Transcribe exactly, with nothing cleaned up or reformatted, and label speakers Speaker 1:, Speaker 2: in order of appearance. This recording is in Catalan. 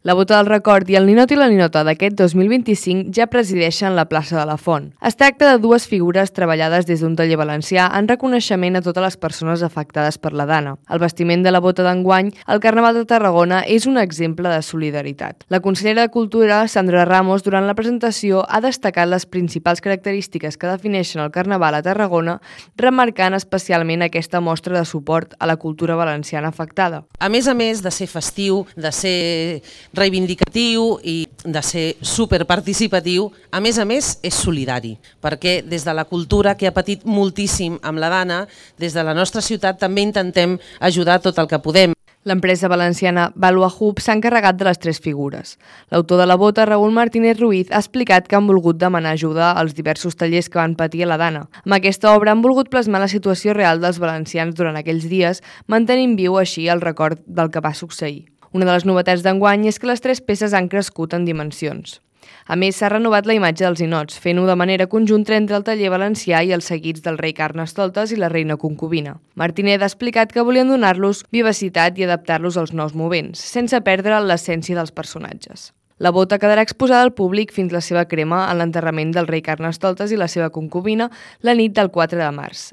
Speaker 1: La Bota del Record i el ninot i la ninota d'aquest dos mil vint-i-cinc ja presideixen la plaça de la Font. Es tracta de dues figures treballades des d'un taller valencià en reconeixement a totes les persones afectades per la Dana. El vestiment de la bota d'enguany, el Carnaval de Tarragona, és un exemple de solidaritat. La consellera de Cultura, Sandra Ramos, durant la presentació ha destacat les principals característiques que defineixen el Carnaval a Tarragona, remarcant especialment aquesta mostra de suport a la cultura valenciana afectada.
Speaker 2: A més a més de ser festiu, de ser reivindicatiu i de ser superparticipatiu, a més a més és solidari, perquè des de la cultura, que ha patit moltíssim amb la Dana, des de la nostra ciutat també intentem ajudar tot el que podem.
Speaker 1: L'empresa valenciana Valua Hub s'ha encarregat de les tres figures. L'autor de la bota, Raúl Martínez Ruiz, ha explicat que han volgut demanar ajuda als diversos tallers que van patir a la Dana. Amb aquesta obra han volgut plasmar la situació real dels valencians durant aquells dies, mantenint viu així el record del que va succeir. Una de les novetats d'enguany és que les tres peces han crescut en dimensions. A més, s'ha renovat la imatge dels ninots, fent-ho de manera conjunta entre el taller valencià i els seguits del rei Carnestoltes i la reina concubina. Martínez ha explicat que volien donar-los vivacitat i adaptar-los als nous moments, sense perdre l'essència dels personatges. La bota quedarà exposada al públic fins la seva crema en l'enterrament del rei Carnestoltes i la seva concubina la nit del quatre de març.